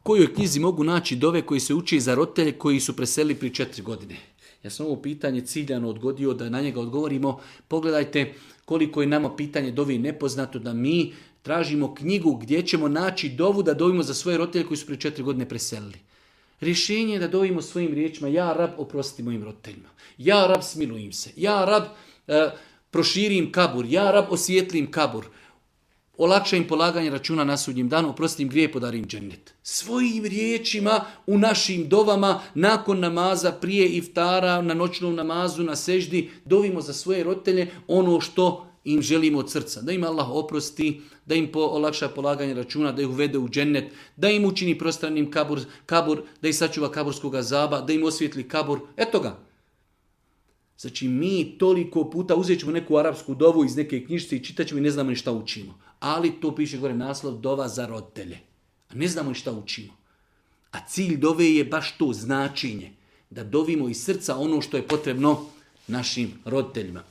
kojoj knjizi mogu naći dove koji se uči za roditelje koji su preselili prije 4 godine? Ja sam ovo pitanje ciljano odgodio da na njega odgovorimo. Pogledajte koliko je nama pitanje dovi nepoznato, da mi tražimo knjigu gdje ćemo naći dovu da dovimo za svoje roditelje koji su prije 4 godine preselili. Rješenje je da dovimo svojim riječima: ja rab, oprosti mojim roditeljima. Ja rab, smiluj im se. Ja rab, proširi im kabur. Ja rab, osvijetli im kabur. Olakša im polaganje računa na sudnjem danu, oprosti im grije, podari im džennet. Svojim riječima u našim dovama, nakon namaza, prije iftara, na noćnom namazu, na seždi, dovimo za svoje roditelje ono što im želimo od srca. Da im Allah oprosti, da im olakša polaganje računa, da ih uvede u džennet, da im učini prostranim kabur, da ih sačuva kaburskog azaba, da im osvijetli kabur. Eto ga. Znači mi toliko puta uzet ćemo neku arapsku dovu iz neke knjižice i čitat ćemo i ne znamo ni šta učimo. Ali to piše gore naslov: dova za roditelje. A ne znamo ni šta učimo. A cilj dove je baš to značenje. Da dovimo iz srca ono što je potrebno našim roditeljima.